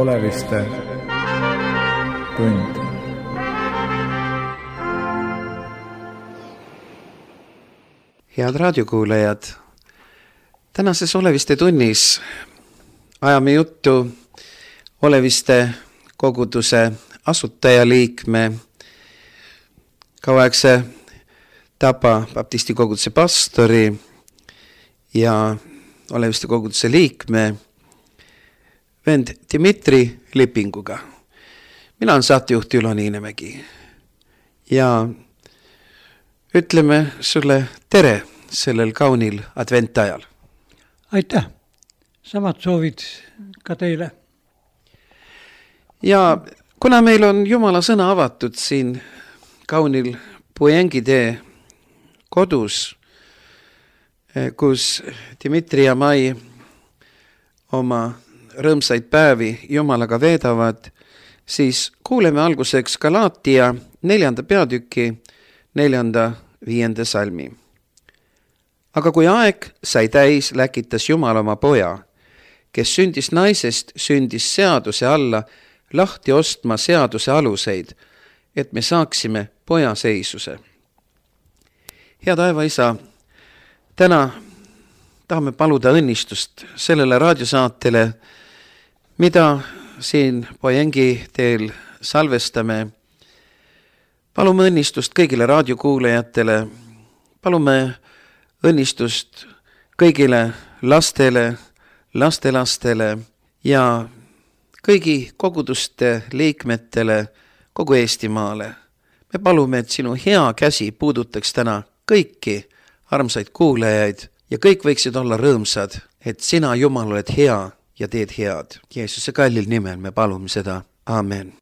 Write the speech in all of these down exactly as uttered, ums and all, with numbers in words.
Oleviste tund. Head raadiokuulajad, tänases Oleviste tunnis ajame juttu Oleviste koguduse asutajaliikme, kauaegse Tapa baptisti koguduse pastori ja Oleviste koguduse liikme vend Dmitri Lipinguga. Mina olen saatejuht Ülo Niinemägi ja ütleme sulle tere sellel kaunil adventajal. Aitäh! Samad soovid ka teile. Ja kuna meil on Jumala sõna avatud siin kaunil Puengitee kodus, kus Dmitri ja Mai oma rõõmsaid päevi Jumalaga veedavad, siis kuuleme alguseks Galaatia neljanda peatüki neljanda viienda salmi. Aga kui aeg sai täis, läkitas Jumal oma poja, kes sündis naisest, sündis seaduse alla, lahti ostma seaduse aluseid, et me saaksime poja seisuse. Hea taevaisa, täna tahame paluda õnnistust sellele raadiosaatele, mida siin Poengi teel salvestame. Palume õnnistust kõigile raadiokuulajatele, palume õnnistust kõigile lastele, lastelastele ja kõigi koguduste liikmetele kogu Eestimaale. Me palume, et sinu hea käsi puudutaks täna kõiki armsaid kuulajaid ja kõik võiksid olla rõõmsad, et sina, Jumal, oled hea ja teed head. Jeesuse kallil nimel me palume seda. Amen.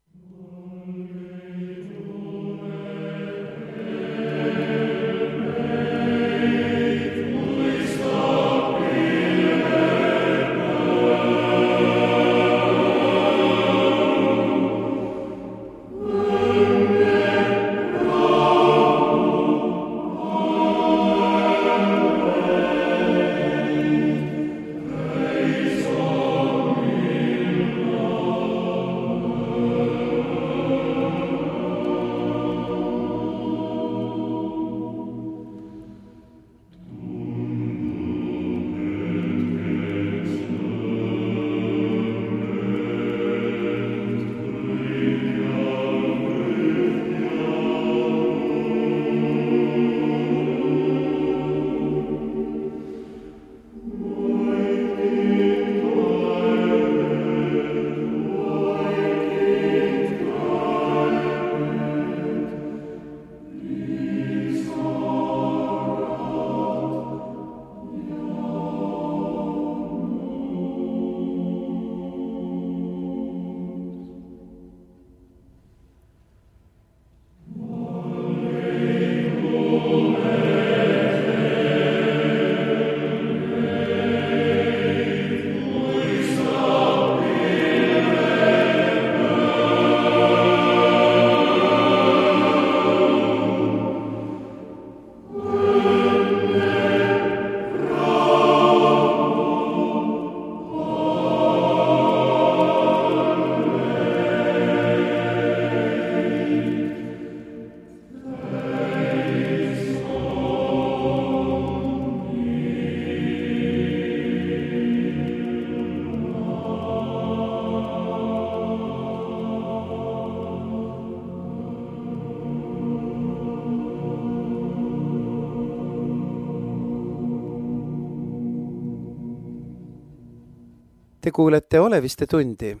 Te kuulete Oleviste tundi.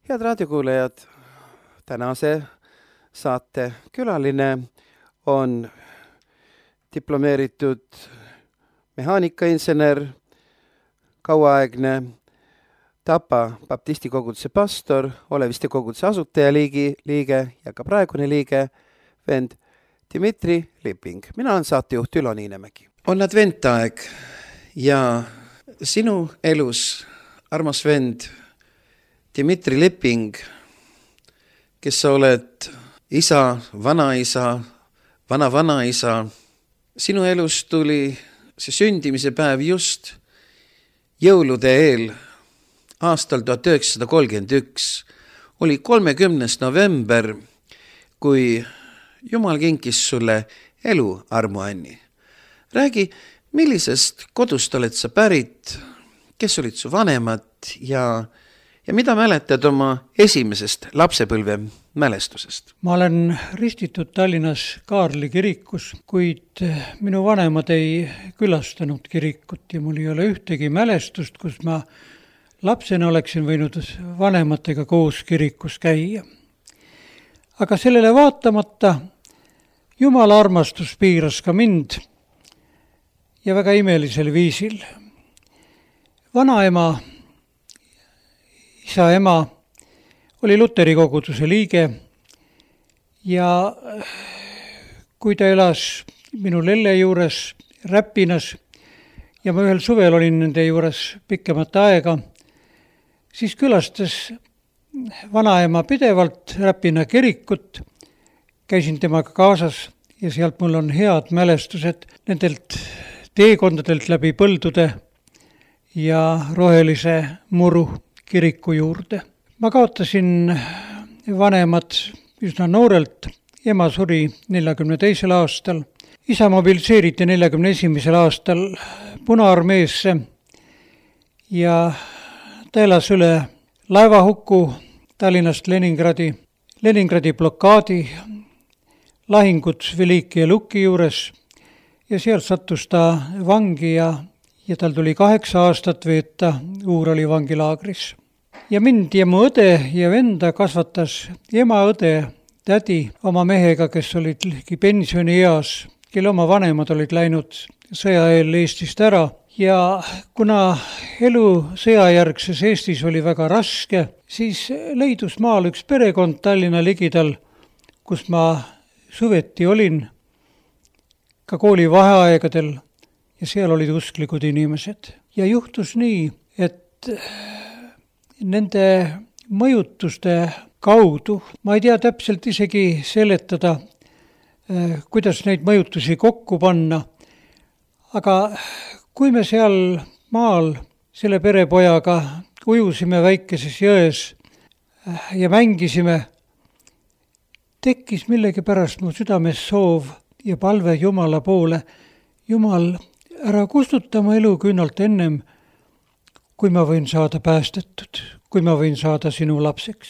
Head raadiokuulajad, tänase saate külaline on diplomeeritud mehaanikainsener, kauaaegne Tapa baptisti koguduse pastor, Oleviste koguduse asutajaliigi liige ja ka praegune liige vend Dmitri Liping. Mina olen saatejuht Ülo Niinemägi. On adventaeg ja sinu elus, armas vend Dmitri Liping, kes sa oled isa, vanaisa, vana-vanaisa, sinu elus tuli see sündimise päev just jõulude eel, aastal tuhat üheksasada kolmkümmend üks oli kolmekümnes november, kui Jumal kinkis sulle elu, Armu Anni. Räägi, millisest kodust oled sa pärit, kes olid su vanemad ja, ja mida mäletad oma esimesest lapsepõlve mälestusest? Ma olen ristitud Tallinnas Kaarli kirikus, kuid minu vanemad ei külastanud kirikut ja mul ei ole ühtegi mälestust, kus ma lapsena oleksin võinud vanematega koos kirikus käia. Aga sellele vaatamata Jumala armastus piiras ka mind ja väga imelisel viisil. Vanaema, isa ema oli Luteri koguduse liige ja kui ta elas minu lelle juures Räpinas ja ma ühel suvel olin nende juures pikemat aega, siis külastas vanaema pidevalt Räpina kirikut, käisin temaga kaasas ja sealt mul on head mälestused nendelt teekondadelt läbi põldude ja rohelise muru kiriku juurde. Ma kaotasin vanemad üsna noorelt, ema suri neljakümne teisel aastal, isa mobiliseeriti neljakümne esimesel aastal Punaarmeesse ja ta elas üle laevahuku Tallinnast Leningradi, Leningradi blokaadi, lahingud Veliki ja Luki juures ja sealt sattus ta vangi ja, ja tal tuli kaheksa aastat veeta Uurali vangilaagris. Ja mind ja mu õde ja venda kasvatas ema õde, tädi oma mehega, kes olid ligi pensioni eas, kelle oma vanemad olid läinud sõja eel Eestist ära. Ja kuna elu sõjajärgses Eestis oli väga raske, siis leidus maal üks perekond Tallinna ligidal, kus ma suveti olin ka kooli vaheaegadel ja seal olid usklikud inimesed. Ja juhtus nii, et nende mõjutuste kaudu, ma ei tea täpselt isegi seletada, kuidas neid mõjutusi kokku panna, aga kui me seal maal selle perepojaga ujusime väikeses jões ja mängisime, tekkis millegipärast mu südames soov ja palve Jumala poole. Jumal, ära kustuta mu eluküünalt ennem, kui ma võin saada päästetud, kui ma võin saada sinu lapseks.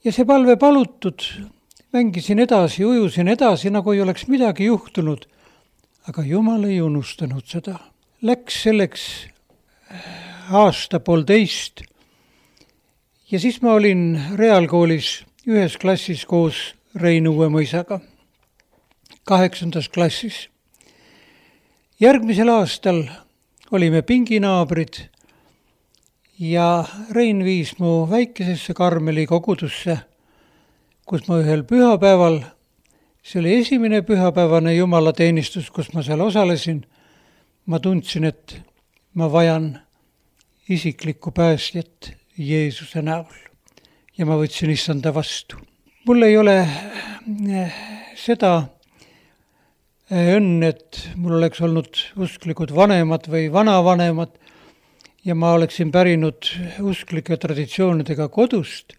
Ja see palve palutud, mängisin edasi, ujusin edasi, nagu ei oleks midagi juhtunud. Aga Jumal ei unustanud seda. Läks selleks aasta poolteist ja siis ma olin reaalkoolis ühes klassis koos Rein Uuemõisaga, kaheksandas klassis. Järgmisel aastal olime pinginaabrid ja Rein viis mu väikesesse Karmeli kogudusse, kus ma ühel pühapäeval, see oli esimene pühapäevane jumalateenistus, kus ma seal osalesin, ma tundsin, et ma vajan isiklikku päästjat Jeesuse näol ja ma võtsin issanda vastu. Mul ei ole seda õnn, et mul oleks olnud usklikud vanemad või vanavanemad ja ma oleksin pärinud usklike traditsioonidega kodust,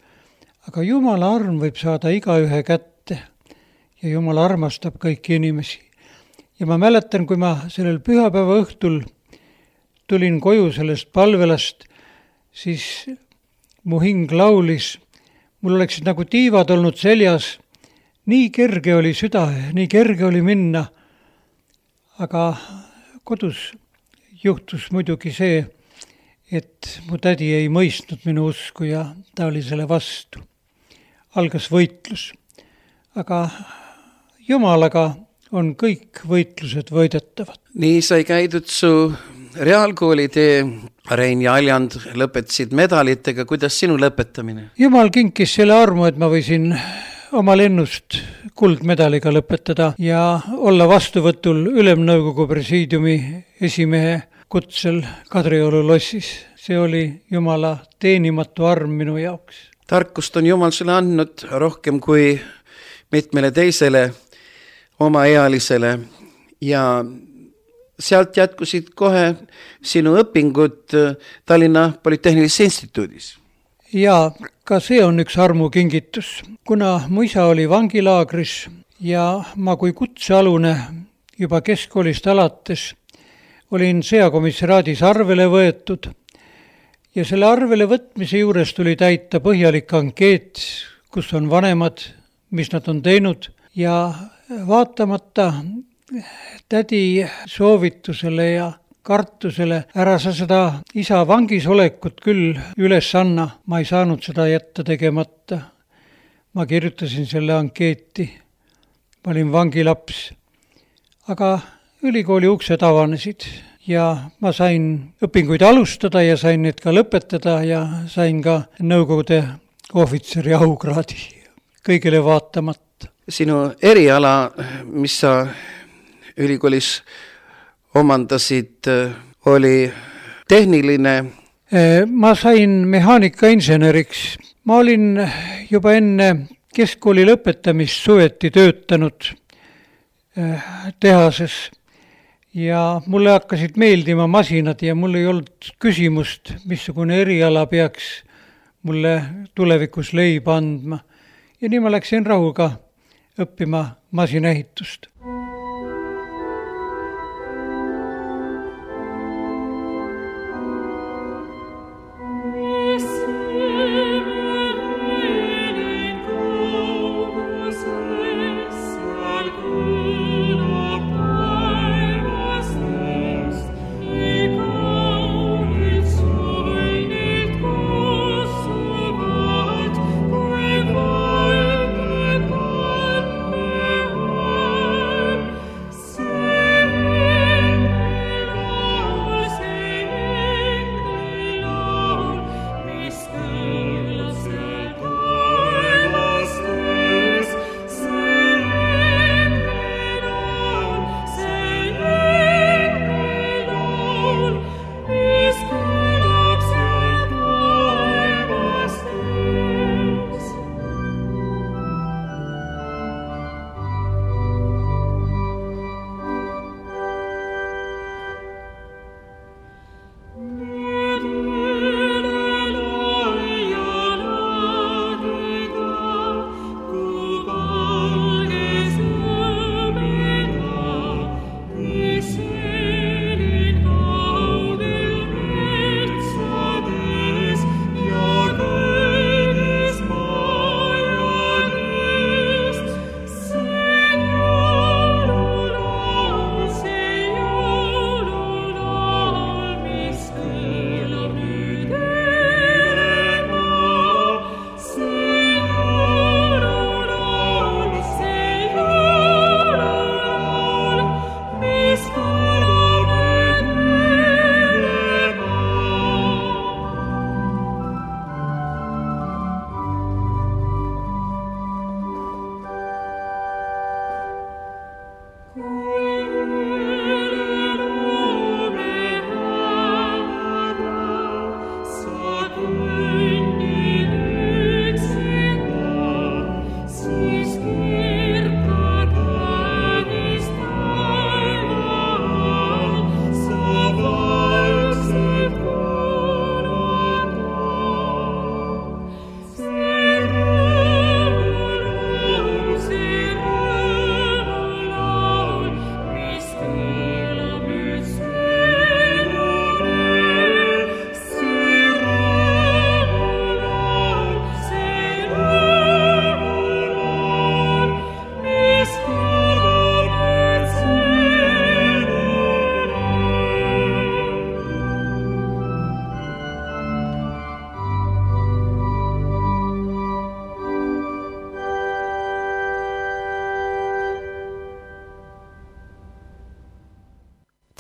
aga Jumala arm võib saada igaühe kätte ja Jumal armastab kõiki inimesi. Ja ma mäletan, kui ma sellel pühapäeva õhtul tulin koju sellest palvelast, siis mu hing laulis, mul oleksid nagu tiivad olnud seljas, nii kerge oli süda, nii kerge oli minna, aga kodus juhtus muidugi see, et mu tädi ei mõistnud minu usku ja ta oli selle vastu. Algas võitlus, aga Jumalaga on kõik võitlused võidetavad. Nii sai käidud su reaalkooli tee, Rein ja Aljand lõpetasid medalitega, kuidas sinu lõpetamine? Jumal kinkis selle armu, et ma võisin oma lennust kuldmedaliga lõpetada ja olla vastuvõtul Ülemnõukogu presiidiumi esimehe kutsel Kadrioru lossis. See oli Jumala teenimatu arm minu jaoks. Tarkust on Jumal sulle andnud rohkem kui mitmele teisele omaealisele ja sealt jätkusid kohe sinu õpingud Tallinna Polütehnilises instituudis. Ja ka see on üks armukingitus. Kuna mu isa oli vangilaagris ja ma kui kutsealune juba keskkoolist alates olin sõjakomissariaadis arvele võetud ja selle arvele võtmise juures tuli täita põhjalik ankeet, kus on vanemad, mis nad on teinud ja vaatamata tädi soovitusele ja kartusele, ära sa seda isa vangis olekut küll üles anna, ma ei saanud seda jätta tegemata. Ma kirjutasin selle ankeeti, ma olin vangilaps, aga ülikooli uksed avanesid ja ma sain õpinguid alustada ja sain need ka lõpetada ja sain ka Nõukogude ohvitseri aukraadi, kõigile vaatamata. Sinu eriala, mis sa ülikoolis omandasid, oli tehniline? Ma sain mehaanikainseneriks. Ma olin juba enne keskkooli lõpetamist suveti töötanud tehases ja mulle hakkasid meeldima masinad ja mul ei olnud küsimust, missugune eriala peaks mulle tulevikus leiba andma. Ja nii ma läksin rahuga õppima masinaehitust.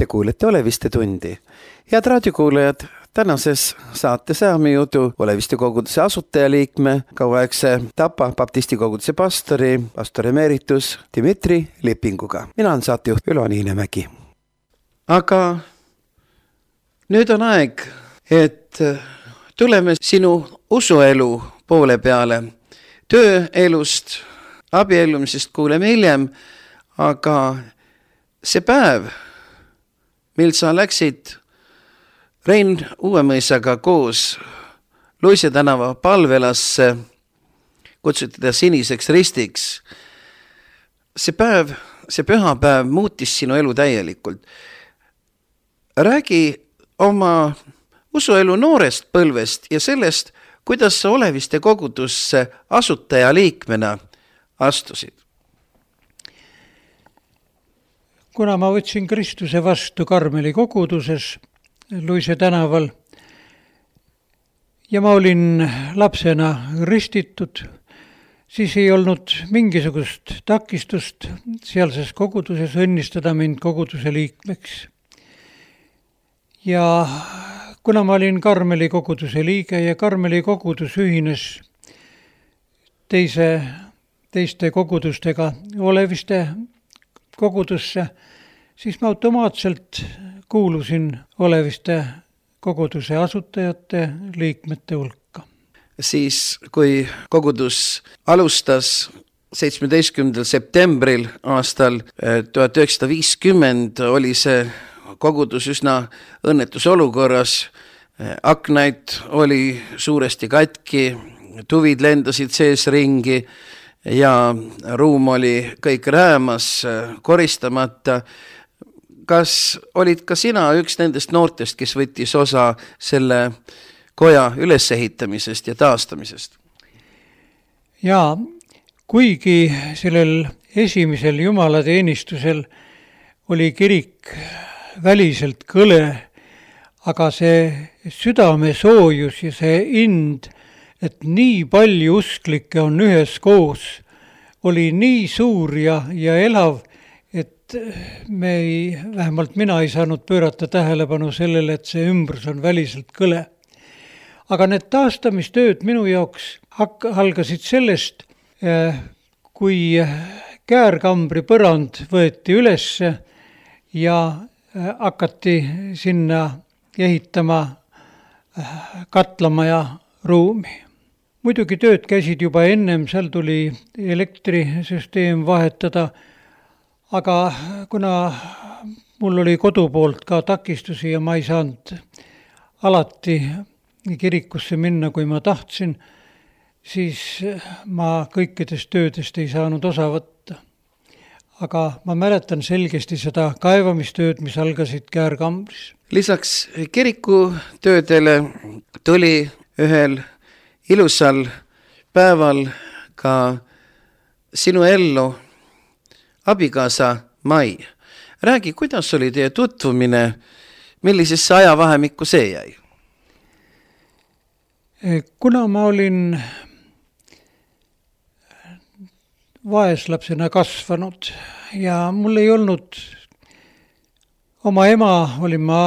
Te kuulete Oleviste tundi. Head raadiokuulajad, tänases saates ajame jutu Oleviste koguduse asutajaliikme, kauaaegse Tapa baptisti koguduse pastori, pastor emeritus Dmitri Lipinguga. Mina olen saatejuht Ülo Niinemägi. Aga nüüd on aeg, et tuleme sinu usuelu poole peale. Tööelust, abiellumisest kuuleme hiljem, aga see päev, mil sa läksid Rein Uuemõisaga koos Luise tänava palvelasse, kutsuti ta Siniseks Ristiks. See päev, see pühapäev muutis sinu elu täielikult. Räägi oma usuelu noorest põlvest ja sellest, kuidas sa Oleviste kogudusse asutaja liikmena astusid. Kuna ma võtsin Kristuse vastu Karmeli koguduses Luise tänaval ja ma olin lapsena ristitud, siis ei olnud mingisugust takistust sealses koguduses õnnistada mind koguduse liikmeks. Ja kuna ma olin Karmeli koguduse liige ja Karmeli kogudus ühines teise, teiste kogudustega Oleviste kogudusse, siis ma automaatselt kuulusin Oleviste koguduse asutajate liikmete hulka. Siis, kui kogudus alustas seitsmeteistkümnendal septembril aastal tuhat üheksasada viiskümmend, oli see kogudus üsna õnnetus olukorras. Aknaid oli suuresti katki, tuvid lendasid sees ringi ja ruum oli kõik räämas, koristamata. Kas olid ka sina üks nendest noortest, kes võttis osa selle koja ülesehitamisest ja taastamisest? Jaa, kuigi sellel esimesel jumalateenistusel oli kirik väliselt kõle, aga see südame soojus ja see ind, et nii palju usklikke on ühes koos, oli nii suur ja, ja elav, et me ei, vähemalt mina ei saanud pöörata tähelepanu sellele, et see ümbrus on väliselt kõle. Aga need taastamistööd minu jaoks hak- algasid sellest, kui käärkambri põrand võeti ülesse ja hakati sinna ehitama katlamaja ruumi. Muidugi tööd käisid juba ennem, seal tuli elektrisüsteem vahetada, aga kuna mul oli kodu poolt ka takistusi ja ma ei saanud alati kirikusse minna, kui ma tahtsin, siis ma kõikidest töödest ei saanud osa võtta. Aga ma mäletan selgesti seda kaevamistööd, mis algasid käärkambris. Lisaks kirikutöödele tuli ühel ilusal päeval ka sinu ellu abikaasa Mai. Räägi, kuidas oli teie tutvumine, millisesse ajavahemikku see jäi? Kuna ma olin vaeslapsena kasvanud ja mul ei olnud, oma ema olin ma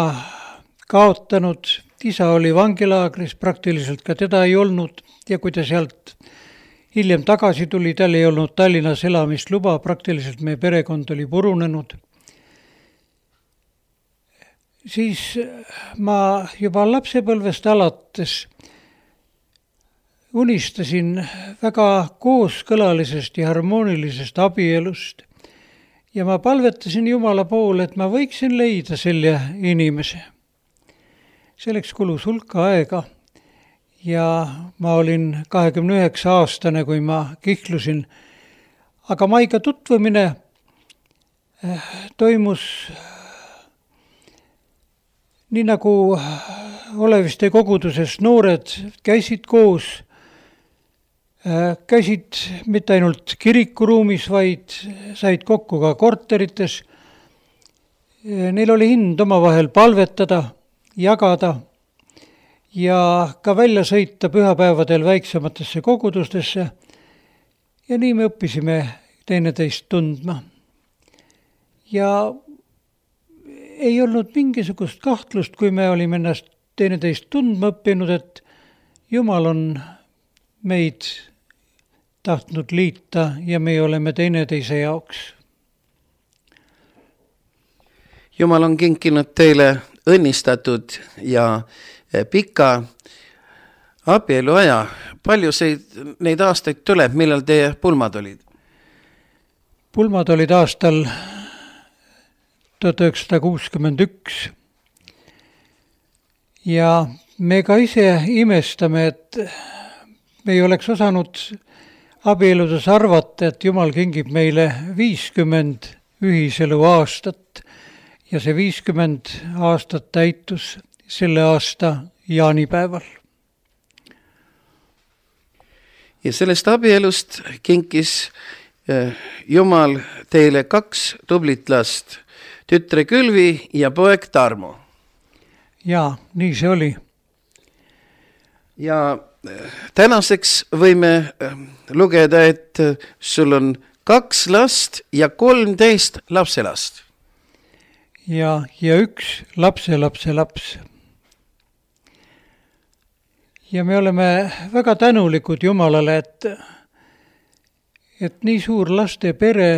kaotanud, isa oli vangilaagris, praktiliselt ka teda ei olnud ja kui ta sealt hiljem tagasi tuli, tal ei olnud Tallinnas elamisluba, praktiliselt meie perekond oli purunenud. Siis ma juba lapsepõlvest alates unistasin väga kooskõlalisest ja harmoonilisest abielust ja ma palvetasin Jumala poole, et ma võiksin leida selle inimese. Selleks kulus hulka aega ja ma olin kahekümne üheksa aastane, kui ma kihlusin, aga Maiga tutvumine toimus nii nagu Oleviste koguduses noored käisid koos, käisid mitte ainult kirikuruumis, vaid said kokku ka korterites. Neil oli hind omavahel palvetada, jagada ja ka välja sõita pühapäevadel väiksematesse kogudustesse. Ja nii me õppisime teineteist tundma. Ja ei olnud mingisugust kahtlust, kui me olime ennast teineteist tundma õppinud, et Jumal on meid tahtnud liita ja me oleme teineteise jaoks. Jumal on kinkinud teile õnnistatud ja pika abieluaja. Palju neid aastaid tuleb, millal teie pulmad olid? Pulmad olid aastal tuhat üheksasada kuuskümmend üks. ja me ka ise imestame, et me ei oleks osanud abieludes arvata, et Jumal kingib meile viiskümmend ühiselu aastat ja see viiskümmend aastat täitus selle aasta jaanipäeval. Ja sellest abielust kinkis Jumal teile kaks tublit last, tütre Külvi ja poeg Tarmo. Jaa, nii see oli. Ja tänaseks võime lugeda, et sul on kaks last ja kolmteist lapselast. Ja, ja üks lapse lapse laps. Ja me oleme väga tänulikud Jumalale, et, et nii suur laste pere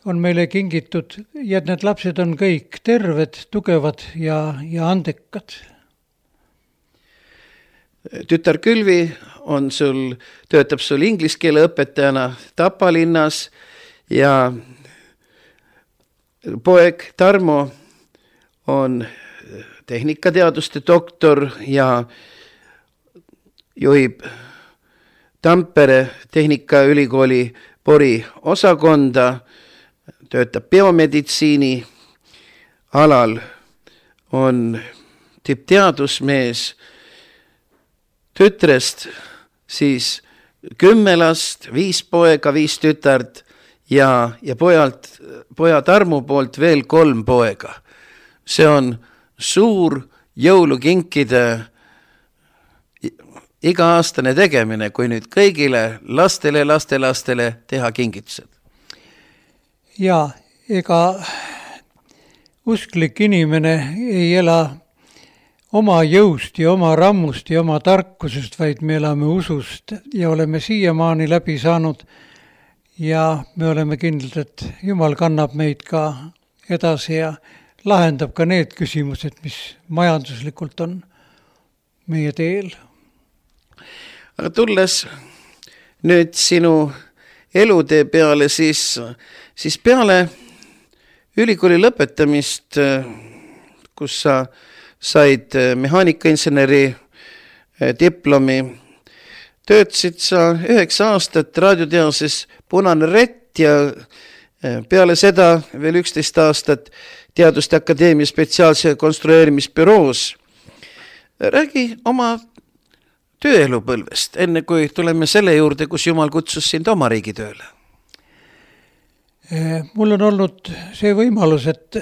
on meile kingitud ja et need lapsed on kõik terved, tugevad ja, ja andekad. Tütar Külvi on sul, töötab sul inglise keele õpetajana Tapa linnas ja poeg Tarmo on tehnikateaduste doktor ja juhib Tampere Tehnikaülikooli Pori osakonda, töötab biomeditsiini alal, on tippteadusmees. Tütrest siis kümme last, viis poega, viis tütart ja, ja pojalt, poja Tarmu poolt veel kolm poega. See on suur jõulukinkide iga-aastane tegemine, kui nüüd kõigile lastele, lastelastele teha kingitused. Ja, ega usklik inimene ei ela oma jõust ja oma rammust ja oma tarkusest, vaid me elame usust ja oleme siiamaani läbi saanud ja me oleme kindlad, et Jumal kannab meid ka edasi ja lahendab ka need küsimused, mis majanduslikult on meie teel. Aga tulles nüüd sinu elutee peale, siis, siis peale ülikooli lõpetamist, kus sa said mehaanikainseneri diplomi, töötasid sa üheksa aastat raadioteaduses Punane Rett ja peale seda veel üksteist aastat Teaduste Akadeemia spetsiaalse konstrueerimisbüroos. Räägi oma tööelupõlvest, enne kui tuleme selle juurde, kus Jumal kutsus sind oma riigi tööle. Mul on olnud see võimalus, et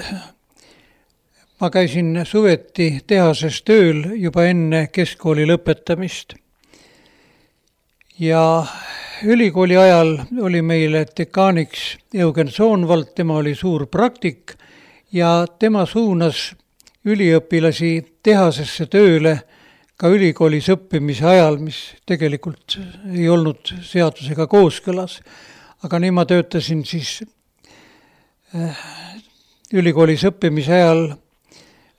ma käisin suveti tehases tööl juba enne keskkooli lõpetamist. Ja ülikooli ajal oli meile dekaaniks Eugen Soonvald, tema oli suur praktik ja tema suunas üliõpilasi tehasesse tööle ka ülikoolis õppimise ajal, mis tegelikult ei olnud seadusega kooskõlas. Aga nii ma töötasin siis ülikoolis õppimise ajal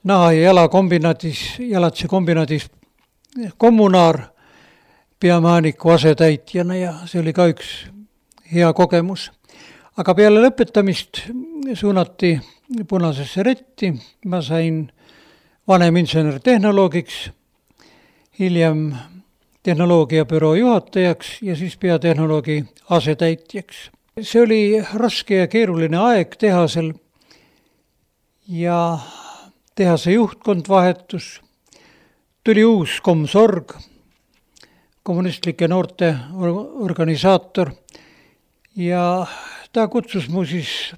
naha- ja jalakombinaadis, jalatse kombinaadis kommunaar peamaaniku asetäitjana ja see oli ka üks hea kogemus. Aga peale lõpetamist suunati Punasesse Retti, ma sain vanem insener tehnoloogiks, hiljem tehnoloogiabüroo juhatajaks ja siis peatehnoloogi asetäitjaks. See oli raske ja keeruline aeg tehasel ja tehase juhtkond vahetus, tuli uus komsorg, kommunistlike noorte organisaator ja ta kutsus mu siis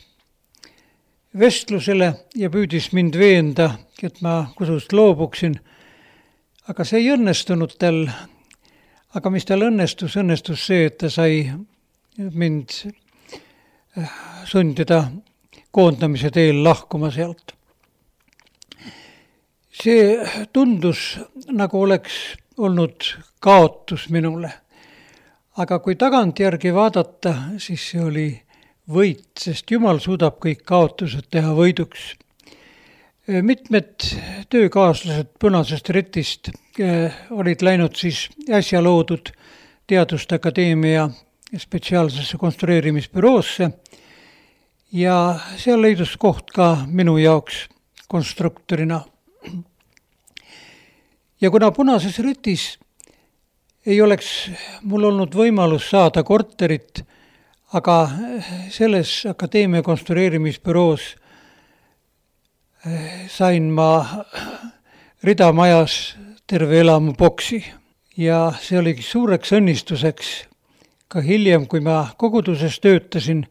vestlusele ja püüdis mind veenda, et ma kusust loobuksin. Aga see ei õnnestunud tal, aga mis tal õnnestus, õnnestus see, et ta sai mind sundida koondamise teel lahkuma sealt. See tundus, nagu oleks olnud kaotus minule. Aga kui tagantjärgi vaadata, siis see oli võit, sest Jumal suudab kõik kaotused teha võiduks. Mitmed töökaaslased Punasest Retist olid läinud siis äsja loodud Teaduste Akadeemia spetsiaalsesse konstrueerimisbüroosse ja seal leidus koht ka minu jaoks konstruktorina. Ja kuna Punases Rütis ei oleks mul olnud võimalus saada korterit, aga selles akadeemia konstrueerimisbüroos sain ma ridamajas terve elamu boksi ja see oligi suureks õnnistuseks ka hiljem, kui ma koguduses töötasin,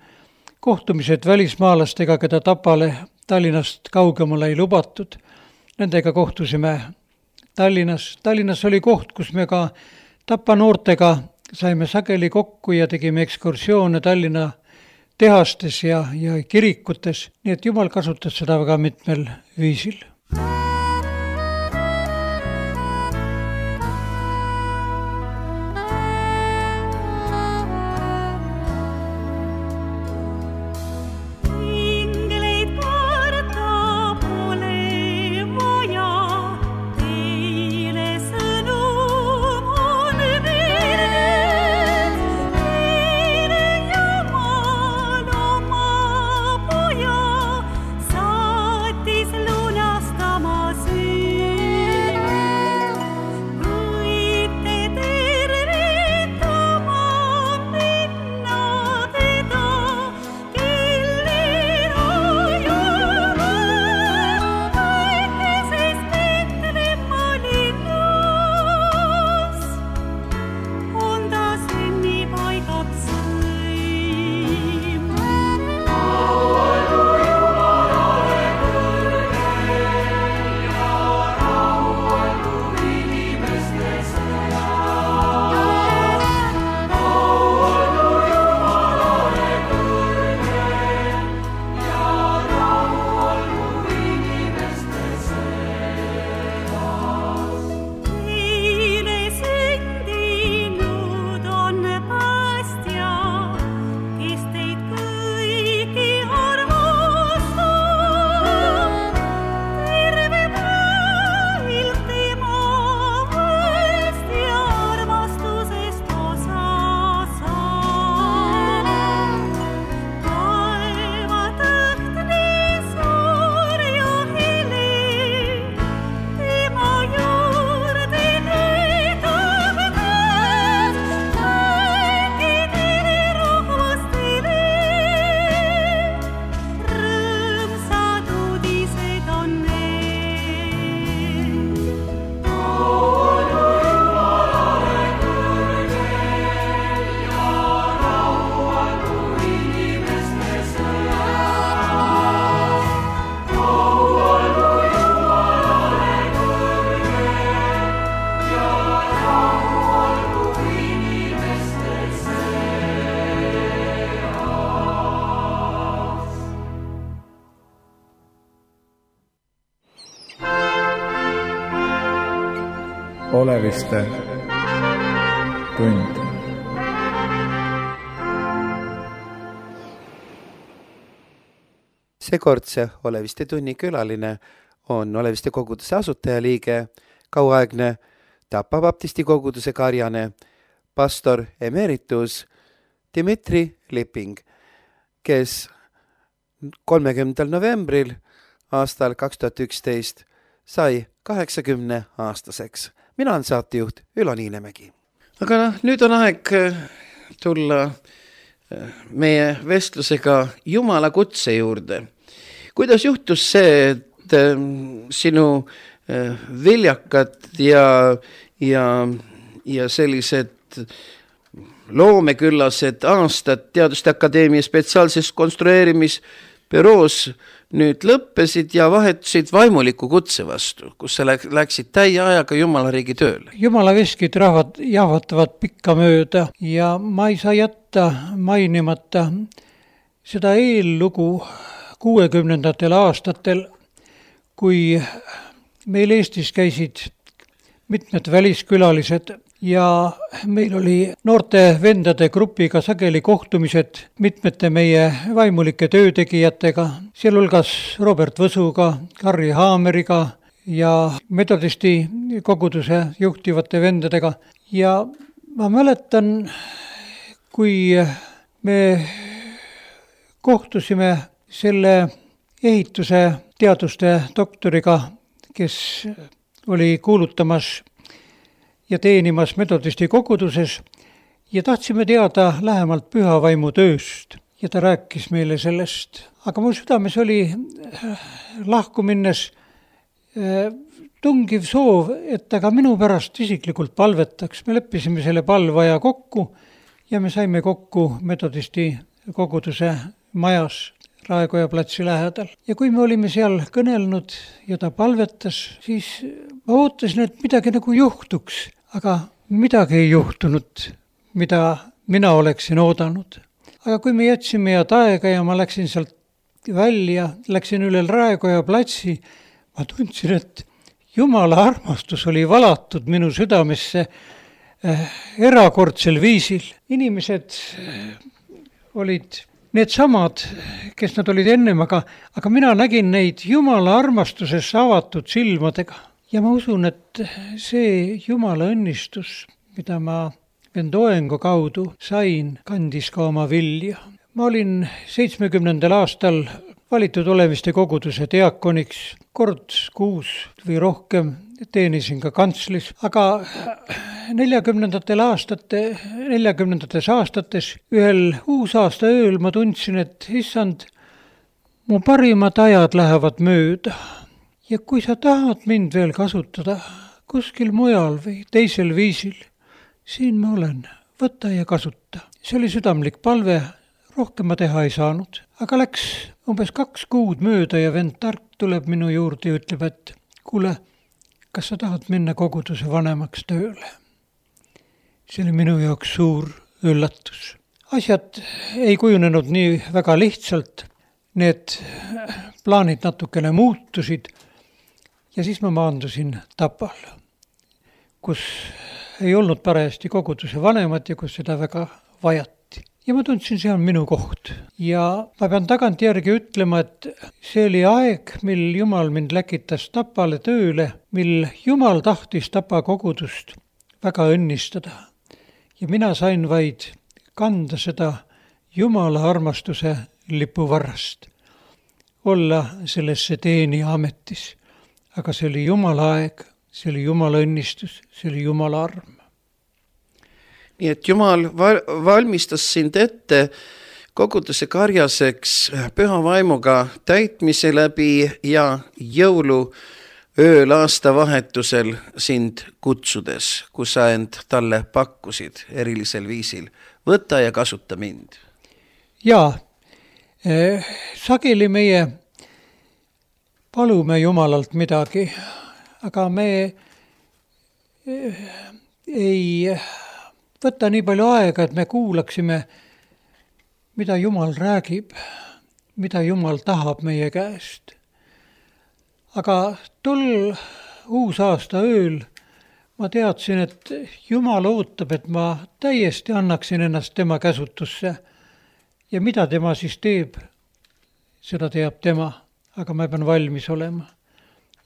kohtumised välismaalastega, keda Tapale Tallinnast kaugemale ei lubatud. Nendega kohtusime Tallinnas. Tallinnas oli koht, kus me ka Tapa noortega saime sageli kokku ja tegime ekskursioone Tallinna tehastes ja, ja kirikutes. Nii et Jumal kasutas seda väga mitmel viisil. Oleviste tund. Seekordse Oleviste tunni külaline on Oleviste koguduse asutajaliige, kauaaegne Tapa baptisti koguduse karjane, pastor emeritus Dmitri Lipping, kes kolmekümnendal novembril aastal kaks tuhat üksteist sai kaheksakümne aastaseks. Mina olen saatejuht Ülo Niinemägi. Aga no, nüüd on aeg tulla meie vestlusega Jumala kutse juurde. Kuidas juhtus see, et sinu viljakad ja, ja, ja sellised loomeküllased aastad Teaduste Akadeemia spetsiaalses konstrueerimisbüroos nüüd lõppesid ja vahetusid vaimuliku kutse vastu, kus sa läksid täie ajaga Jumala riigi tööle? Jumala veskid rahvad jahvatavad pikka mööda ja ma ei saa jätta mainimata seda eellugu kuuekümnendatel aastatel, kui meil Eestis käisid mitmed väliskülalised ja meil oli noorte vendade grupiga sageli kohtumised mitmete meie vaimulike töötegijatega, sealhulgas Robert Võsuga, Harri Haameriga ja metodisti koguduse juhtivate vendadega. Ja ma mäletan, kui me kohtusime selle ehituse teaduste doktoriga, kes oli kuulutamas ja teenimas metodisti koguduses ja tahtsime teada lähemalt pühavaimu tööst ja ta rääkis meile sellest. Aga mu südames oli lahku minnes tungiv soov, et ta ka minu pärast isiklikult palvetaks. Me leppisime selle palvaja kokku ja me saime kokku metodisti koguduse majas Raekoja platsi lähedal. Ja kui me olime seal kõnelnud ja ta palvetas, siis ma ootasin, et midagi nagu juhtuks, aga midagi ei juhtunud, mida mina oleksin oodanud. Aga kui me jätsime ja taega ja ma läksin sealt välja, läksin üle Raekoja platsi, ma tundsin, et Jumala armastus oli valatud minu südamesse erakordsel viisil. Inimesed olid need samad, kes nad olid ennem, aga, aga mina nägin neid Jumala armastusesse avatud silmadega. Ja ma usun, et see Jumala õnnistus, mida ma vend Oengu kaudu sain, kandis ka oma vilja. Ma olin seitsmekümnendal aastal valitud Olemiste koguduse diakoniks, kord kuus või rohkem teenisin ka kantslis, aga neljakümnendatel aastate, neljakümnendates aastates ühel uusaasta ööl ma tundsin, et issand, mu parimad ajad lähevad mööda ja kui sa tahad mind veel kasutada kuskil mujal või teisel viisil, siin ma olen, võta ja kasuta. See oli südamlik palve, rohkem ma teha ei saanud, aga läks umbes kaks kuud mööda ja vend Tark tuleb minu juurde ja ütleb, et kuule, kas sa tahad minna koguduse vanemaks tööle? See oli minu jaoks suur üllatus. Asjad ei kujunenud nii väga lihtsalt, need plaanid natukene muutusid ja siis ma maandusin Tapal, kus ei olnud parajasti koguduse vanemat ja kus seda väga vajati. Ja ma tundsin, see on minu koht. Ja ma pean tagantjärgi ütlema, et see oli aeg, mil Jumal mind läkitas Tapale tööle, mil Jumal tahtis Tapa kogudust väga õnnistada. Ja mina sain vaid kanda seda Jumala armastuse lipuvarrast, olla sellesse teenija ametis. Aga see oli Jumala aeg, see oli Jumala õnnistus, see oli Jumala arm. Nii et Jumal valmistas sind ette koguduse karjaseks püha vaimuga täitmise läbi ja jõulu ööl aastavahetusel sind kutsudes, kus sa end talle pakkusid erilisel viisil. Võta ja kasuta mind. Jaa, eh, sageli meie palume Jumalalt midagi, aga me eh, ei võta nii palju aega, et me kuulaksime, mida Jumal räägib, mida Jumal tahab meie käest. Aga tol uusaasta ööl ma teadsin, et Jumal ootab, et ma täiesti annaksin ennast tema käsutusse. Ja mida tema siis teeb, seda teab tema, aga ma pean valmis olema.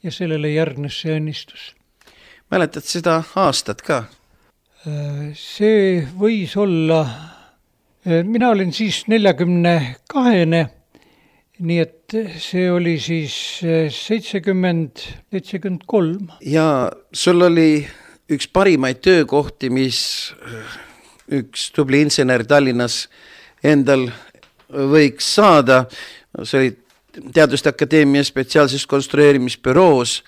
Ja sellele järgnes see õnnistus. Mäletad seda aastat ka? See võis olla, mina olin siis neljakümne kahene, nii et see oli siis seitsekümmend, seitsekümmend kolm. Ja sul oli üks parimaid töökohti, mis üks tubli insener Tallinnas endal võiks saada. See oli Teaduste Akadeemia spetsiaalses konstrueerimisbüroos,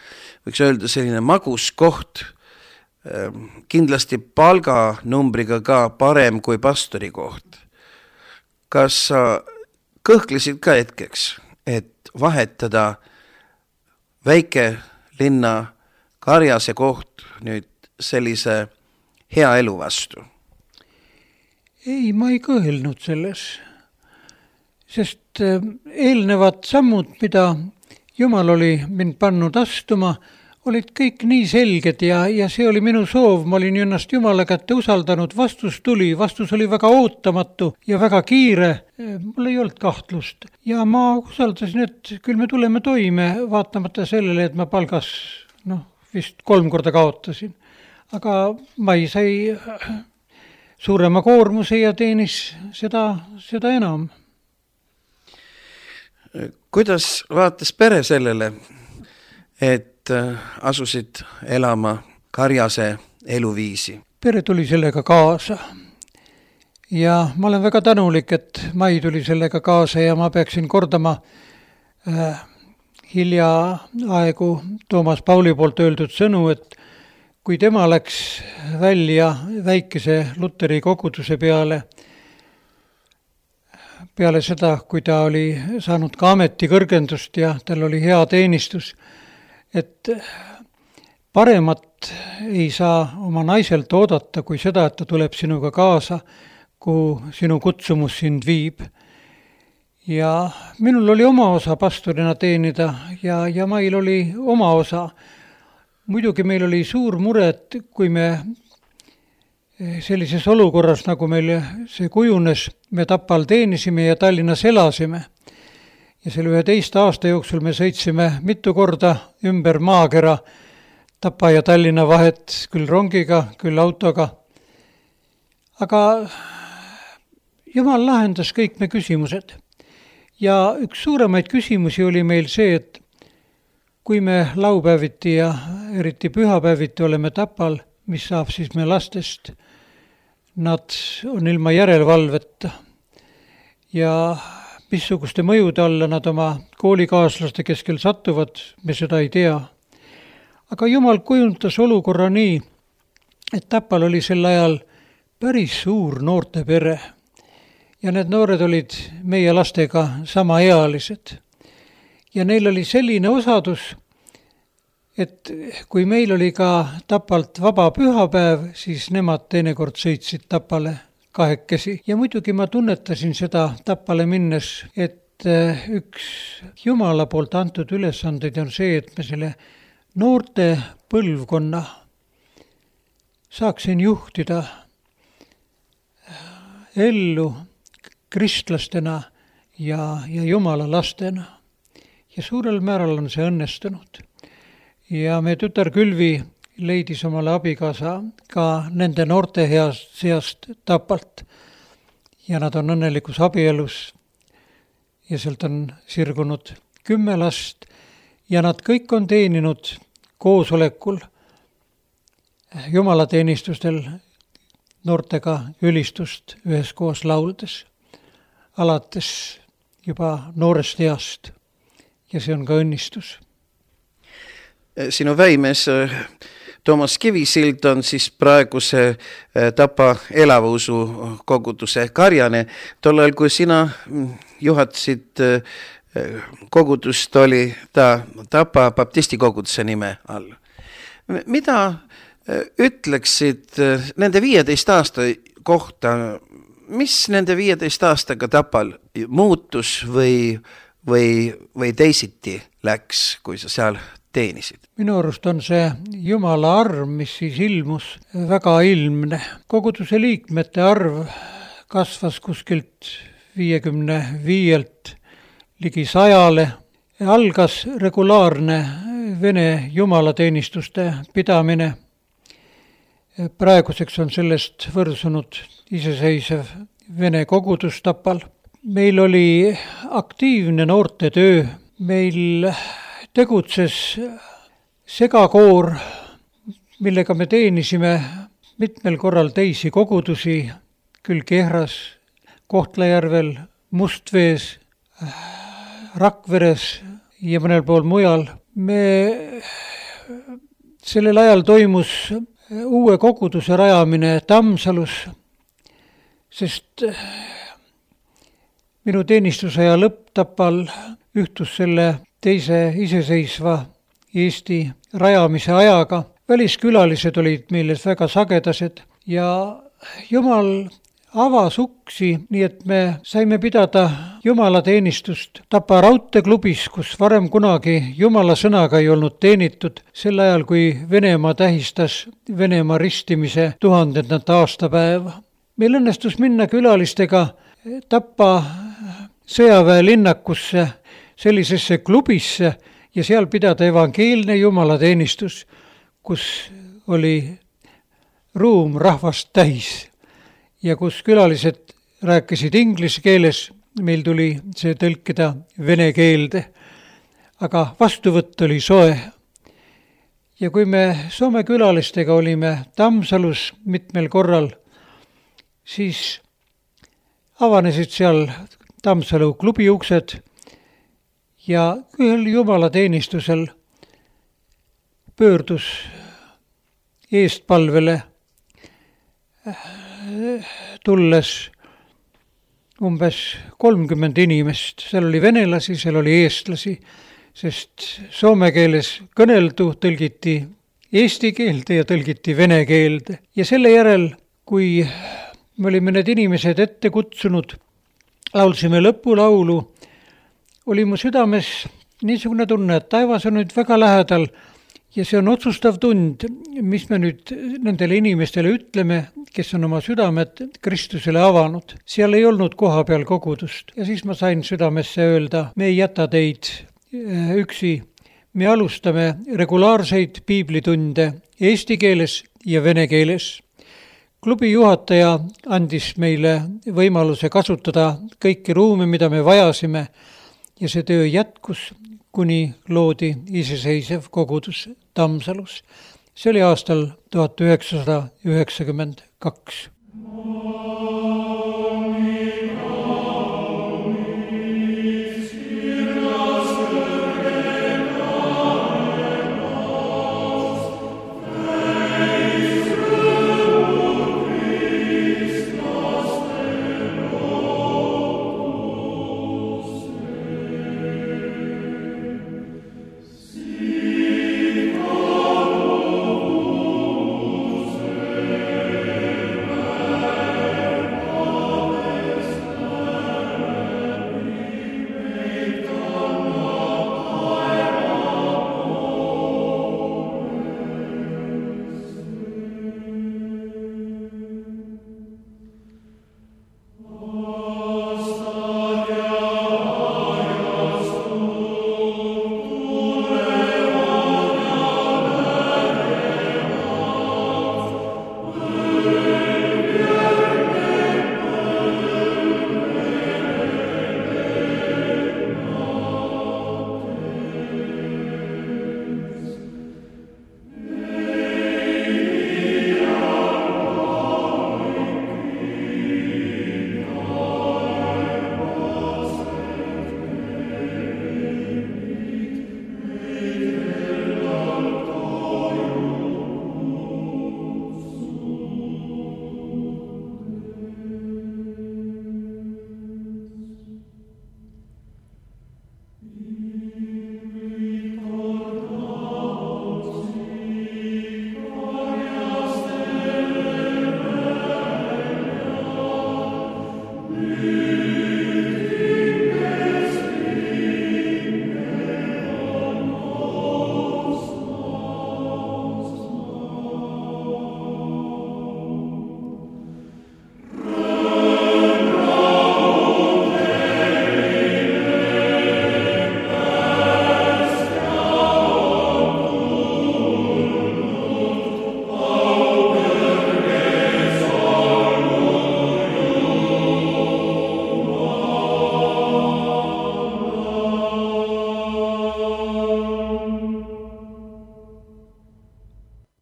võiks öelda selline magus koht, kindlasti palganumbriga ka parem kui pastori koht. Kas sa kõhklesid ka hetkeks, et vahetada väike linna karjase koht nüüd sellise hea elu vastu? Ei, ma ei kõhelnud selles, sest eelnevad sammud, mida Jumal oli mind pannud astuma, olid kõik nii selged ja, ja see oli minu soov, ma olin ennast Jumala kätte usaldanud, vastus tuli, vastus oli väga ootamatu ja väga kiire, mul ei olnud kahtlust. Ja ma usaldasin, et küll me tuleme toime, vaatamata sellele, et ma palgas noh, vist kolm korda kaotasin. Aga mai sai suurema koormuse ja teenis seda, seda enam. Kuidas vaatas pere sellele, et asusid elama karjase eluviisi? Pere tuli sellega kaasa ja ma olen väga tänulik, et Mai tuli sellega kaasa ja ma peaksin kordama äh, hiljaaegu Toomas Pauli poolt öeldud sõnu, et kui tema läks välja väikese Luteri koguduse peale, peale seda, kui ta oli saanud ka ametikõrgendust ja tal oli hea teenistus, et paremat ei saa oma naiselt oodata kui seda, et ta tuleb sinuga kaasa, kuhu sinu kutsumus sind viib. Ja minul oli oma osa pastorina teenida ja, ja Mail oli oma osa. Muidugi meil oli suur mure, et kui me sellises olukorras, nagu meil see kujunes, me Tapal teenisime ja Tallinnas elasime. Ja selle üheteist aasta jooksul me sõitsime mitu korda ümber maakera Tapa ja Tallinna vahet, küll rongiga, küll autoga. Aga Jumal lahendas kõik me küsimused. Ja üks suuremaid küsimusi oli meil see, et kui me laupäeviti ja eriti pühapäeviti oleme Tapal, mis saab siis me lastest, nad on ilma järelevalveta ja missuguste mõjude alla nad oma koolikaaslaste keskel satuvad, me seda ei tea. Aga Jumal kujundas olukorra nii, et Tapal oli sel ajal päris suur noorte pere ja need noored olid meie lastega samaealised. Ja neil oli selline osadus, et kui meil oli ka Tapalt vaba pühapäev, siis nemad teinekord sõitsid Tapale kahekesi. Ja muidugi ma tunnetasin seda Tapale minnes, et üks Jumala poolt antud ülesandeid on see, et me selle noorte põlvkonna saaksin juhtida ellu kristlastena ja, ja Jumala lastena. Ja suurel määral on see õnnestunud. Ja me tütar Külvi leidis omale abikaasa ka nende noorte heast seast Tapalt. Ja nad on õnnelikus abielus ja sealt on sirgunud kümme last ja nad kõik on teeninud koosolekul jumalateenistustel noortega ülistust üheskoos lauldes, alates juba noorest east ja see on ka õnnistus. Sinu väimees Toomas Kivisild on siis praeguse Tapa Elavausu koguduse karjane. Tollal, kui sina juhatasid kogudust, oli ta Tapa baptisti koguduse nime all. Mida ütleksid nende viieteist aasta kohta, mis nende viieteist aastaga Tapal muutus või, või, või teisiti läks, kui sa seal teenisid? Minu arust on see Jumala arv, mis siis ilmus, väga ilmne. Koguduse liikmete arv kasvas kuskilt viiekümne viielt ligi sajale. Algas regulaarne Vene jumalateenistuste pidamine. Praeguseks on sellest võrsunud iseseisev Vene kogudus Tapal. Meil oli aktiivne noorte töö. Meil tegutses segakoor, millega me teenisime mitmel korral teisi kogudusi, küll Kehras, Kohtla-Järvel, Mustvees, Rakveres ja mõnel pool mujal. Me sellel ajal toimus uue koguduse rajamine Tammsalus, sest minu teenistusaja lõpp Tapal ühtus selle teise iseseisva Eesti rajamise ajaga. Väliskülalised olid meile väga sagedased ja Jumal avas uksi, nii et me saime pidada jumalateenistust Tapa raudteeklubis, kus varem kunagi Jumala sõnaga ei olnud teenitud, sel ajal, kui Venemaa tähistas Venemaa ristimise tuhandendat aastapäeva. Meil õnnestus minna külalistega Tapa sõjaväelinnakusse, sellisesse klubisse ja seal pidada evangeelne jumalateenistus, kus oli ruum rahvast täis ja kus külalised rääkisid inglise keeles meil tuli see tõlkida vene keelde, aga vastuvõtt oli soe. Ja kui me Soome külalistega olime Tammsalus mitmel korral, siis avanesid seal Tammsalu klubi uksed ja ühel jumalateenistusel pöördus eestpalvele tulles umbes kolmkümmend inimest. Seal oli venelasi, seal oli eestlasi, sest soome keeles kõneldu tõlgiti eesti keelde ja tõlgiti vene keelde. Ja selle järel, kui me olime need inimesed ette kutsunud, laulsime lõpulaulu, oli mu südames niisugune tunne, et taevas on nüüd väga lähedal ja see on otsustav tund, mis me nüüd nendele inimestele ütleme, kes on oma südamed Kristusele avanud. Seal ei olnud koha peal kogudust ja siis ma sain südamesse öelda, me ei jäta teid üksi. Me alustame regulaarseid piiblitunde eesti keeles ja vene keeles. Klubi juhataja andis meile võimaluse kasutada kõiki ruume, mida me vajasime ja see töö jätkus, kuni loodi iseseisev kogudus Tammsalus. See oli aastal tuhat üheksasada üheksakümmend kaks.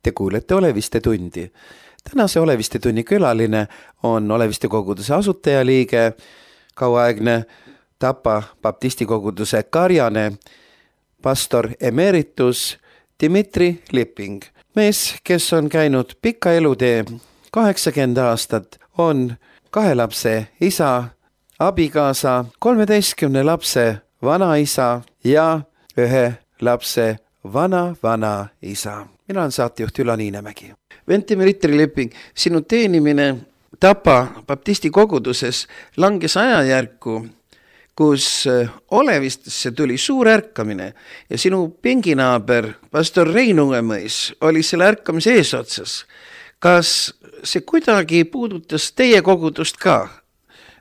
Te kuulete Oleviste tundi. Tänase Oleviste tunni külaline on Oleviste koguduse asutajaliige, kauaaegne Tapa baptisti koguduse karjane, pastor emeritus Dmitri Lipping. Mees, kes on käinud pika elutee kaheksakümmend aastat, on kahe lapse isa, abikaasa, kolmeteistkümne lapse vanaisa ja ühe lapse vana-vana isa. Mina olen saatejuht Ülo Niinemägi. Dmitri Lipping, sinu teenimine Tapa baptisti koguduses langes ajajärku, kus Olevistesse tuli suur ärkamine ja sinu pinginaaber, pastor Rein Uemõis, oli selle ärkamise eesotsas. Kas see kuidagi puudutas teie kogudust ka,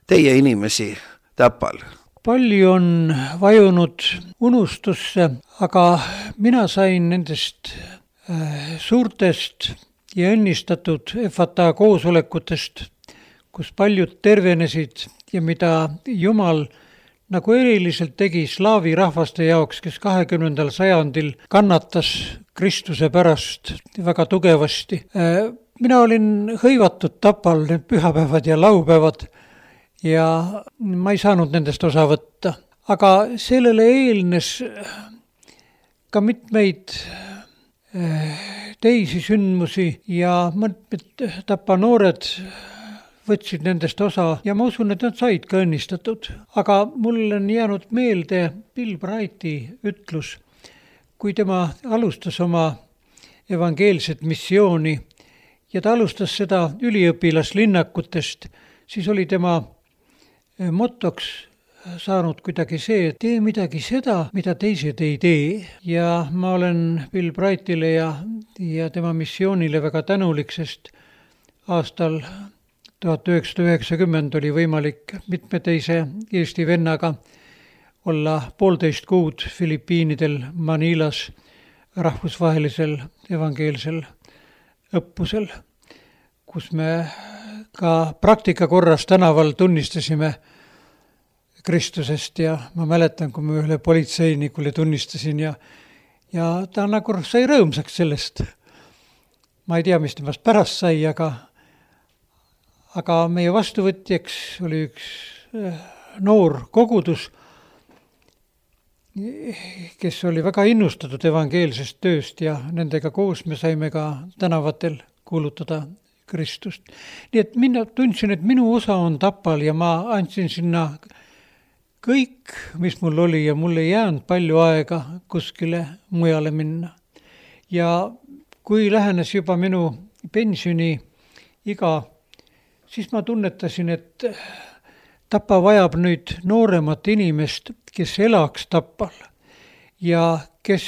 teie inimesi Tapal? Palju on vajunud unustusse, aga mina sain nendest suurtest ja õnnistatud F A T A koosolekutest, kus paljud tervenesid ja mida Jumal nagu eriliselt tegi slaavi rahvaste jaoks, kes kahekümnendal sajandil kannatas Kristuse pärast väga tugevasti. Mina olin hõivatud Tapal need pühapäevad ja laupäevad ja ma ei saanud nendest osa võtta. Aga sellele eelnes ka mitmeid teisi sündmusi ja mõned Tapa noored võtsid nendest osa ja ma usun, et nad said ka õnnistatud. Aga mul on jäänud meelde Bill Brighti ütlus, kui tema alustas oma evangeelset missiooni ja ta alustas seda üliõpilaslinnakutest, siis oli tema motoks saanud kuidagi see, et tee midagi seda, mida teised ei tee. Ja ma olen Bill Brightile ja, ja tema missioonile väga tänulik, sest aastal tuhat üheksasada üheksakümmend oli võimalik mitme teise Eesti vennaga olla poolteist kuud Filipiinidel Manilas rahvusvahelisel evangeelsel õppusel, kus me ka praktika korras tänaval tunnistasime Kristusest ja ma mäletan, kui ma ühele politseinikule tunnistasin ja, ja ta nagu sai rõõmsaks sellest. Ma ei tea, mis temast pärast sai, aga, aga meie vastuvõtjaks oli üks noor kogudus, kes oli väga innustatud evangeelsest tööst ja nendega koos me saime ka tänavatel kuulutada Kristust. Nii et mina tundsin, et minu osa on Tapal ja ma andsin sinna kõik, mis mul oli ja mul ei jäänud palju aega kuskile mujale minna. Ja kui lähenes juba minu pensioni iga, siis ma tunnetasin, et Tapa vajab nüüd nooremat inimest, kes elaks Tapal ja kes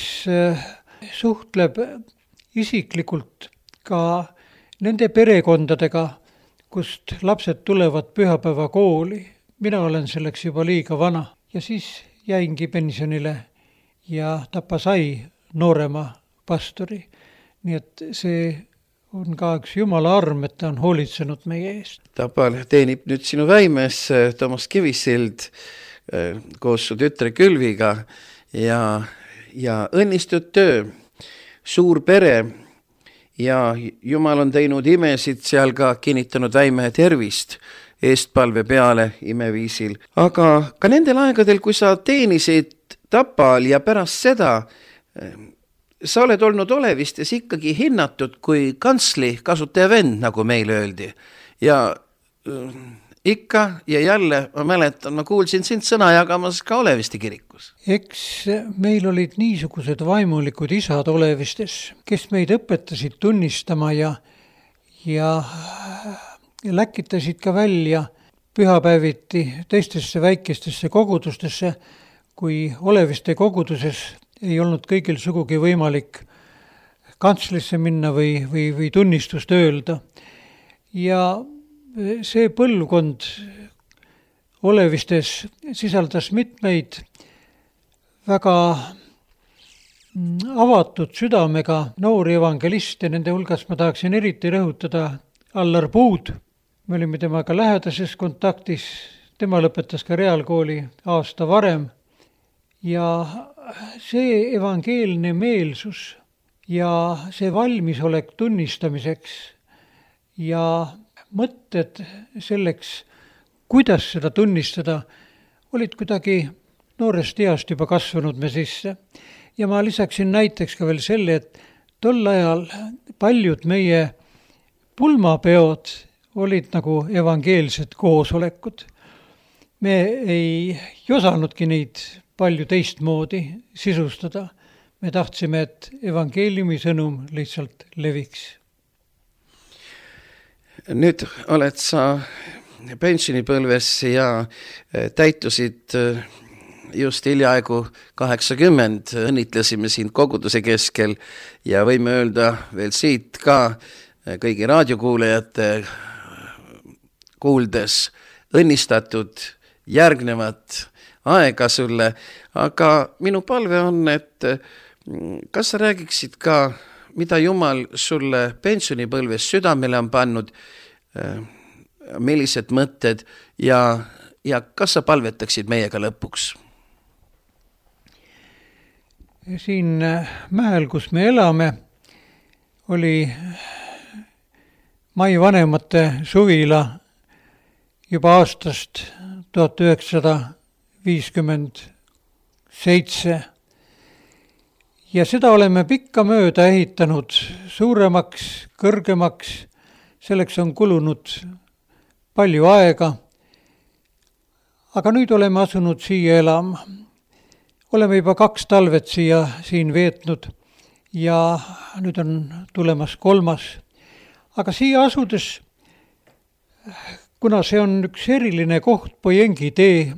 suhtleb isiklikult ka nende perekondadega, kust lapsed tulevad pühapäeva kooli. Mina olen selleks juba liiga vana ja siis jäingi pensionile ja Tapa sai noorema pastori. Nii et see on ka üks Jumala arm, et ta on hoolitsenud meie eest. Tapal teenib nüüd sinu väimes Toomas Kivisild koos su tütre Külviga ja, ja õnnistud töö, suur pere ja Jumal on teinud imesid seal ka kinnitanud väime tervist eestpalve peale imeviisil. Aga ka nendel aegadel, kui sa teenisid Tapal ja pärast seda, sa oled olnud Olevistes ikkagi hinnatud kui kantsli kasutaja vend, nagu meil öeldi. Ja ikka ja jälle, ma mäletan, ma kuulsin sind sõna jagamas ka Oleviste kirikus. Eks meil olid niisugused vaimulikud isad Olevistes, kes meid õpetasid tunnistama ja, ja läkitasid ka välja pühapäeviti teistesse väikestesse kogudustesse, kui Oleviste koguduses ei olnud kõigil sugugi võimalik kantslisse minna või, või, või tunnistust öelda. Ja see põlvkond Olevistes sisaldas mitmeid väga avatud südamega noori evangeliste, nende hulgas ma tahaksin eriti rõhutada Allar Puud. Me olime temaga lähedases kontaktis, tema lõpetas ka reaalkooli aasta varem ja see evangeelne meelsus ja see valmisolek tunnistamiseks ja mõtted selleks, kuidas seda tunnistada, olid kuidagi noorest east juba kasvanud me sisse. Ja ma lisaksin näiteks ka veel selle, et tol ajal paljud meie pulmapeod olid nagu evangeelsed koosolekud. Me ei osanudki neid palju teistmoodi sisustada. Me tahtsime, et evangeeliumi sõnum lihtsalt leviks. Nüüd oled sa pensionipõlves ja täitusid just hiljaaegu kaheksakümmend. Õnnitlesime sind koguduse keskel ja võime öelda veel siit ka kõigi raadiokuulajate kuuldes õnnistatud järgnevat aega sulle, aga minu palve on, et kas sa räägiksid ka, mida Jumal sulle pensionipõlves südamele on pannud, millised mõtted ja ja kas sa palvetaksid meiega lõpuks? Siin mäel, kus me elame, oli Mai vanemate suvila juba aastast tuhat üheksasada viiskümmend seitse. Ja seda oleme pikka mööda ehitanud suuremaks, kõrgemaks. Selleks on kulunud palju aega. Aga nüüd oleme asunud siia elama. Oleme juba kaks talvet siia siin veetnud ja nüüd on tulemas kolmas. Aga siia asudes, kuna see on üks eriline koht, Pojengi tee,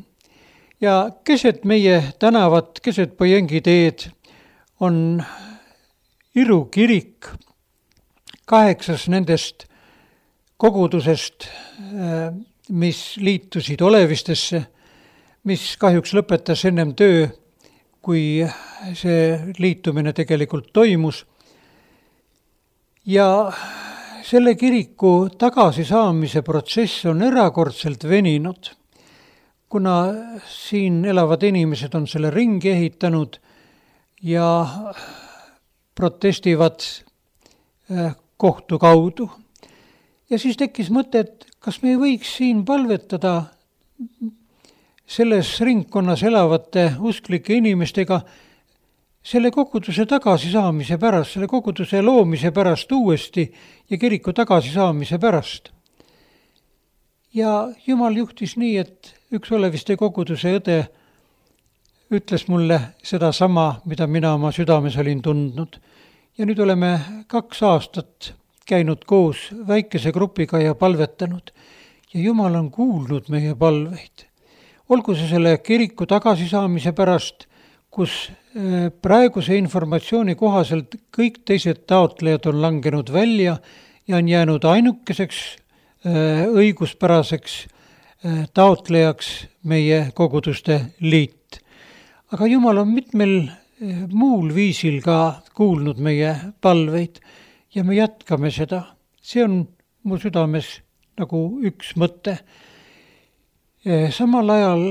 ja keset meie tänavat, keset Pojengi teed on Iru kirik, kaheksas nendest kogudusest, mis liitusid Olevistesse, mis kahjuks lõpetas ennem töö, kui see liitumine tegelikult toimus. Ja selle kiriku tagasisaamise protsess on erakordselt veninud, kuna siin elavad inimesed on selle ringi ehitanud ja protestivad kohtu kaudu. Ja siis tekkis mõte, et kas me ei võiks siin palvetada selles ringkonnas elavate usklike inimestega selle koguduse tagasisaamise pärast, selle koguduse loomise pärast uuesti ja kiriku tagasisaamise pärast. Ja Jumal juhtis nii, et üks Oleviste koguduse õde ütles mulle seda sama, mida mina oma südames olin tundnud. Ja nüüd oleme kaks aastat käinud koos väikese grupiga ja palvetanud. Ja Jumal on kuulnud meie palveid. Olgu see selle kiriku tagasisaamise pärast, kus praeguse informatsiooni kohaselt kõik teised taotlejad on langenud välja ja on jäänud ainukeseks õiguspäraseks taotlejaks meie koguduste liit. Aga Jumal on mitmel muul viisil ka kuulnud meie palveid ja me jätkame seda. See on mu südames nagu üks mõte. Samal ajal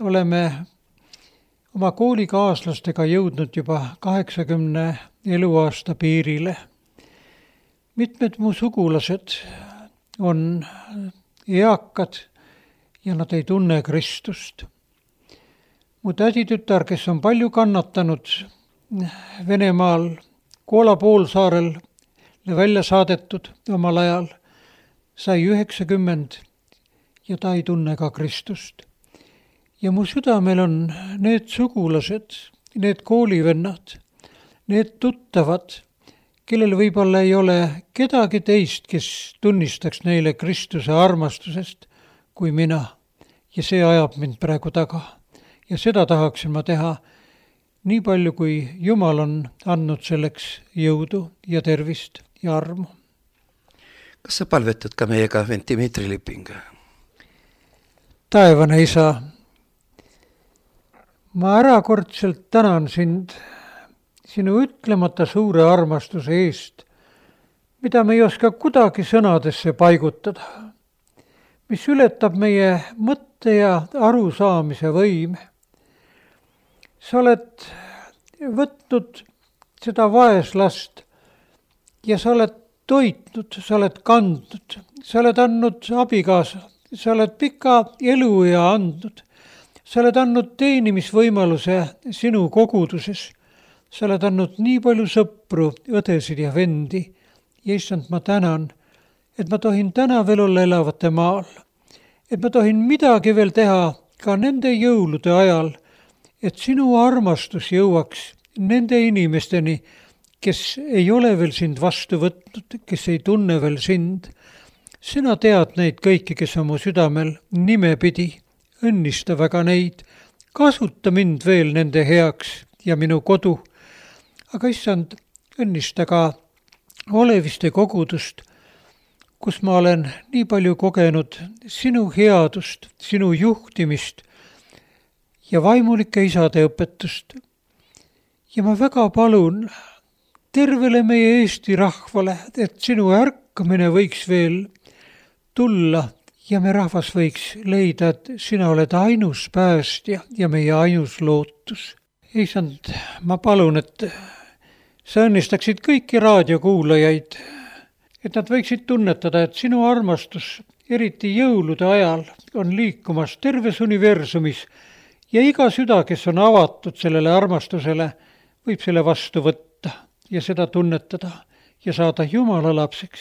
oleme oma koolikaaslastega jõudnud juba kaheksakümne eluaasta piirile. Mitmed mu sugulased on eakad ja nad ei tunne Kristust. Mu täditütar, kes on palju kannatanud Venemaal, Koola poolsaarel välja saadetud omal ajal, sai üheksakümmend ja ta ei tunne ka Kristust. Ja mu südamel on need sugulased, need koolivennad, need tuttavad, kellel võib-olla ei ole kedagi teist, kes tunnistaks neile Kristuse armastusest kui mina. Ja see ajab mind praegu taga. Ja seda tahaksin ma teha nii palju, kui Jumal on andnud selleks jõudu ja tervist ja armu. Kas sa palvetad ka meiega, vend Dmitri Liping? Taevane isa, ma ärakordselt tänan sind sinu ütlemata suure armastuse eest, mida me ei oska kuidagi sõnadesse paigutada, mis ületab meie mõtte ja arusaamise võime. Sa oled võtnud seda vaeslast ja sa oled toitnud, sa oled kandnud, sa oled andnud abikaasa, sa oled pika eluea andnud, sa oled andnud teenimisvõimaluse sinu koguduses. Sa oled andnud nii palju sõpru, õdesid ja vendi. Ja issand, ma tänan, et ma tohin täna veel olla elavate maal. Et ma tohin midagi veel teha ka nende jõulude ajal, et sinu armastus jõuaks nende inimesteni, kes ei ole veel sind vastu võtnud, kes ei tunne veel sind. Sina tead neid kõiki, kes on mu südamel nimepidi. Õnnista väga neid. Kasuta mind veel nende heaks ja minu kodu. Aga issand, õnnista ka Oleviste kogudust, kus ma olen nii palju kogenud sinu headust, sinu juhtimist ja vaimulike isade õpetust. Ja ma väga palun tervele meie Eesti rahvale, et sinu ärkamine võiks veel tulla ja me rahvas võiks leida, et sina oled ainus päästja ja meie ainus lootus. Issand, ma palun, et sa õnnistaksid kõiki raadiokuulajaid, et nad võiksid tunnetada, et sinu armastus, eriti jõulude ajal, on liikumas terves universumis ja iga süda, kes on avatud sellele armastusele, võib selle vastu võtta ja seda tunnetada ja saada Jumala lapseks.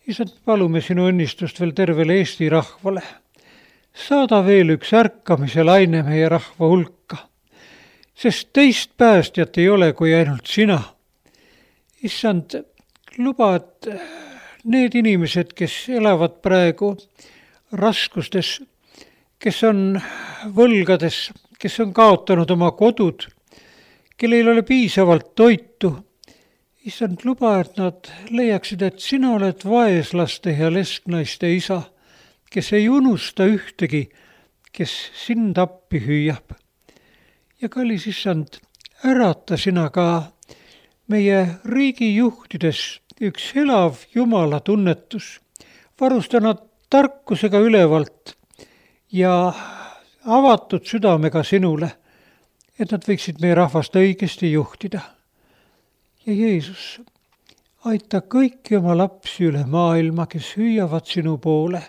Issand, palume sinu õnnistust veel tervele Eesti rahvale. Saada veel üks ärkamise laine meie rahva hulka, sest teist päästjat ei ole kui ainult sina. Issand, luba, et need inimesed, kes elavad praegu raskustes, kes on võlgades, kes on kaotanud oma kodud, kellel ei ole piisavalt toitu, issand, luba, et nad leiaksid, et sina oled vaeslaste ja lesknaiste isa, kes ei unusta ühtegi, kes sind appi hüüab. Ja kallis issand, ärata sina ka meie riigi juhtides üks elav Jumala tunnetus, varusta nad tarkusega ülevalt ja avatud südamega sinule, et nad võiksid meie rahvast õigesti juhtida. Ja Jeesus, aita kõiki oma lapsi üle maailma, kes hüüavad sinu poole,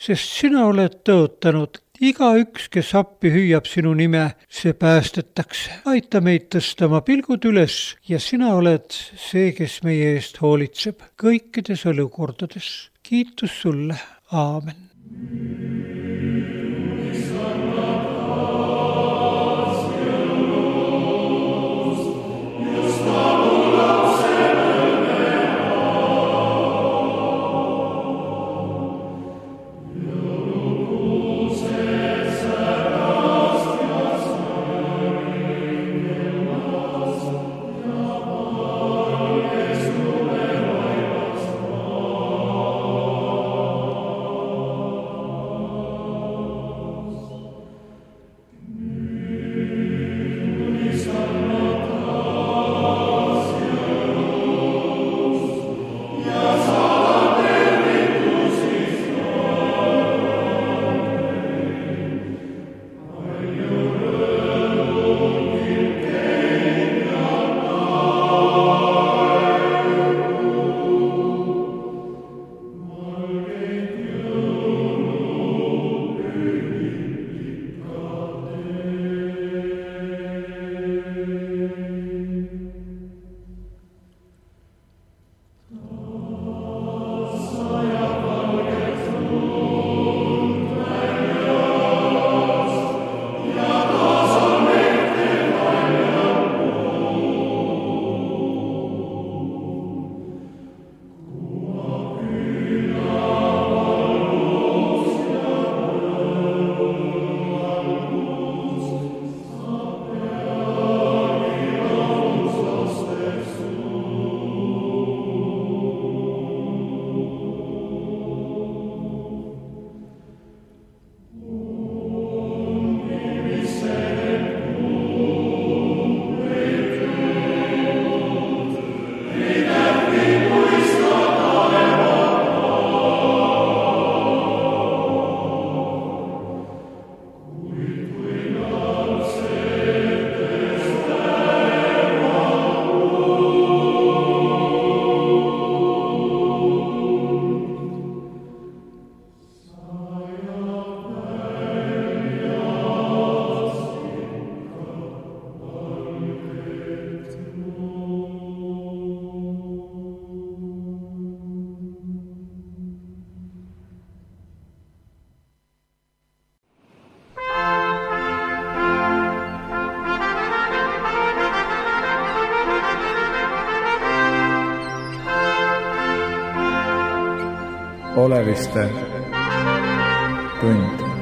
sest sina oled tõotanud, iga üks, kes appi hüüab sinu nime, see päästetakse. Aita meid tõsta oma pilgud üles ja sina oled see, kes meie eest hoolitseb kõikides olukordades. Kiitus sulle. Aamen. Oleviste tund.